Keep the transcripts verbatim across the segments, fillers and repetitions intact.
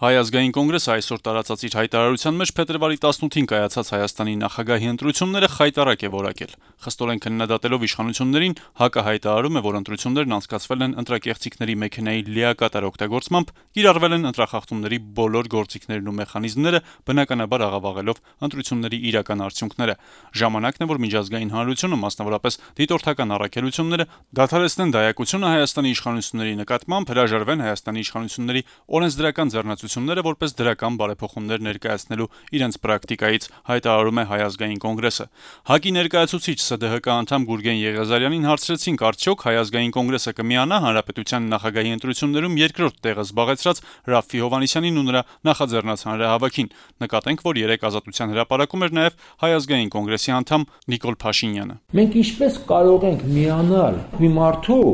Հայ ազգային կոնգրեսը այսօր տարածած իր հայտարարության մեջ փետրվարի տասնութին կայացած Հայաստանի նախագահի ընտրությունները խայտառակ է որակել։ Խստորեն քննադատելով իշխանություններին, ՀԱԿ-ը հայտարարում է, որ ընտրություններն անցկացվել են ընտրակեղծիքների մեքենայի լիակատար օգտագործմամբ, կիրառվել են ընտրախախտումների բոլոր գործիքներն ու մեխանիզմները, բնականաբար աղավաղելով ընտրությունների իրական արդյունքները։ Ժամանակն է, որ միջազգային հանրությունը, մասնավորապես դիտորդական առաքելությունները, դադարեցնեն դայակությունը Հայաստանի իշխանությունների նկատմամբ, հրաժարվեն Հայաստանի իշխանությունների օրենսդրական ձեռնարկությունները որպես դրական բարեփոխումներ ներկայացնելու իրենց պրակտիկայից, հայտարարում է Հայ ազգային կոնգրեսը։ ՀԱԿ-ի ներկայացուցիչ ՍԴՀԿ անդամ Գուրգեն Եղիազարյանին հարցրեցինք, արդյոք Հայ ազգային կոնգրեսը կմիանա հանրապետության նախագահի ընտրություններում երկրորդ տեղը զբաղեցրած Ռաֆֆի Հովհաննիսյանին ու նրա նախաձեռնած հանրահավաքին։ Նկատենք, որ երեկ Ազատության հրապարակում էր նաև Հայ ազգային կոնգրեսի անդամ Նիկոլ Փաշինյանը։ Մենք ինչպես կարող ենք միանալ մի մարդու,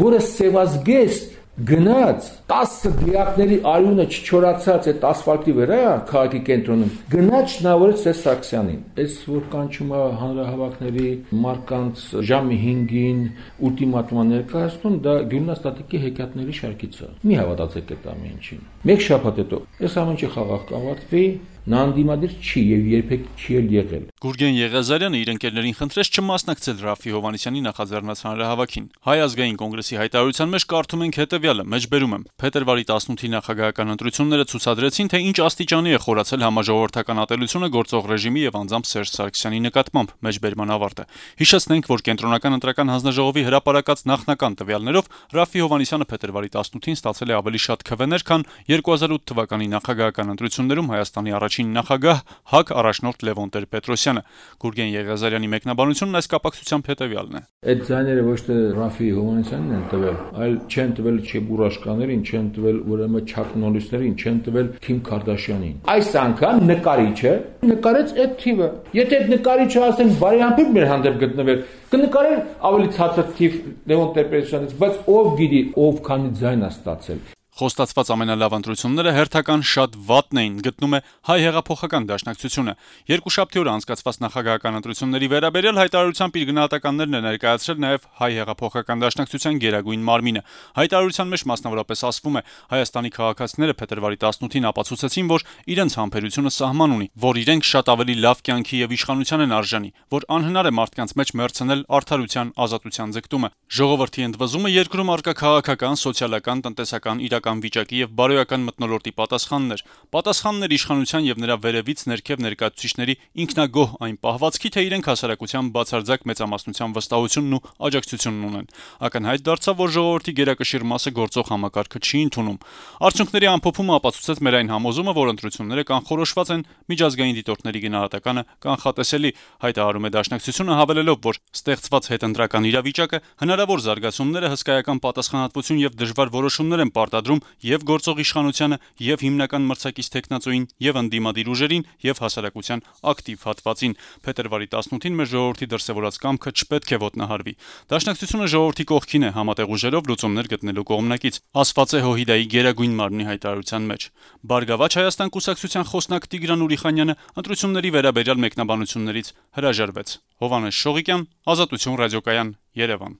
որը սևազգեստ գնաց տասը դիակների արյունը չչորացած այդ ասֆալտի վրա քաղաքի կենտրոնում գնաց շնորհեց Սերժ Սարգսյանին։ Այս որ կանչում է հանրահավաքների մարկանց ժամը հինգին ուլտիմատում ներկայացնում, դա գյուղնաստատիկի հեքիաթների շարքից է։ Մի հավատացեք այդ ամեն ինչին։ Մեկ շաբաթ հետո այս ամեն ինչը խաղաղ կավարտվի, նա անդիմադիր չի եւ երբեք չի էլ եղել։ Գուրգեն Եղիազարյանը իր ընկերներին խնդրեց չմասնակցել Ռաֆֆի Հովհաննիսյանի նախաձեռնած հանրահավաքին։ Հայ ազգային կոնգրեսի հայտարարության մեջ կարդում ենք հետևյալը, մեջբերում եմ. փետրվարի տասնութի նախագահական ընտրությունները ցուցադրեցին, թե ինչ աստիճանի է խորացել համաժողովրդական ատելությունը գործող ռեժիմի եւ անձամբ Սերժ Սարգսյանի նկատմամբ։ Մեջբերման ավարտը։ Հիշեցնենք, որ կենտրոնական ընտրական հանձնաժողովի հրապարակած նախնական տվյալներով Ռաֆֆի Հովհաննիսյանը փետրվարի տասնութին ստացել է ավելի շատ քվեներ, քան երկու հազար ութ թվականի նախագահական ընտրություններում Հայաստանի առաջին նախագահ ՀԱԿ առաջնորդ Լևոն Տեր-Պետրոսյանը։ Գուրգեն Եղիազարյանի մեկնաբանությունն այս կապակցությամբ հետևյալն է. Այդ ձայները ոչ թե Ռաֆֆի Հովհաննիսյանին են տվել, այլ չեն տվել Չեբուրաշկաներին, չեն տվել ուրեմն Չակ Նորրիսներին, չեն տվել Քիմ Քարդաշյանին։ Այս անգամ նկարիչը նկարեց այդ թիվը։ Եթե այդ նկարիչը ասեն բարիամբիր մեր հանդեպ գտնվել, կնկարեն ավելի ցածր թիվ Լևոն Տեր-Պետրոսյանից, բայց ով գիտի, ով քանի ձայն է ստացել։ Խոստացված ամենալավ ընտրությունները հերթական շատ վատն էին, գտնում է Հայ հեղափոխական դաշնակցությունը։ Երկուշաբթի օրը անցկացված նախագահական ընտրությունների վերաբերյալ հայտարարությամբ իր գնահատականներն է ներկայացրել նաև Հայ հեղափոխական դաշնակցության գերագույն մարմինը։ Հայտարարության մեջ մասնավորապես ասվում է. Հայաստանի քաղաքացիները փետրվարի տասնութին ապացուցեցին, որ իրենց համբերությունը սահման ունի, որ իրենք շատ ավելի լավ կյանքի եւ իշխանության են արժանի, որ անհնար է մարդկանց մեջ մերցնել արդարության, ազատության ձգտումը։ Ժողովրդի ընդվզումը երկրում առկա քաղաքական, սոցիալական, տնտեսական իրական վիճակի եւ բարոյական մթնոլորտի պատասխաններ։ Պատասխաններ իշխանության եւ նրա վերևից ներքև ներկայացուցիչների ինքնագոհ այն պահվածքի, թե իրենք հասարակության բացարձակ մեծամասնության վստահությունն ու աջակցությունն ունեն։ Ակնհայտ դարձավ, որ ժողովրդի գերակշիռ մասը գործող համակարգը չի ընդունում։ Արդյունքների ամփոփումը ապացուցեց մեր այն համոզումը, որ ընտրությունները կանխորոշված են, միջազգային դիտորդների գնահատականը կանխատեսելի, հայտարարում է դաշնակցությունը, հավելելով, որ ստեղծված հետընտրական իրավիճակը հնարավոր զարգացումները, հսկայական պատասխանատվություն եւ դժվար որոշումներ են պարտադրում եւ գործող իշխանությանը, եւ հիմնական մրցակից տեխնացուին, եւ ընդդիմադիր ուժերին, եւ հասարակության ակտիվ հատվածին։ Փետրվարի տասնութին մեր ժողովրդի դրսևորած կամքը չպետք է ոտնահարվի։ Դաշնակցությունը ժողովրդի կողքին է համատեղ ուժերով լուծումներ գտնելու կողմնակից, ասված է ՀՅԴ-ի գերագույն մարմնի հայտարարության մեջ։ Բարգավաճ Հայաստան կուսակցության խոսնակ Տիգրան Ուրիխանյանը ընտրությունների վերաբերյալ մեկնաբանություններից հրաժարվեց։ Հովհաննես Շողիկյան, Ազատություն ռադիոկայան, Երևան։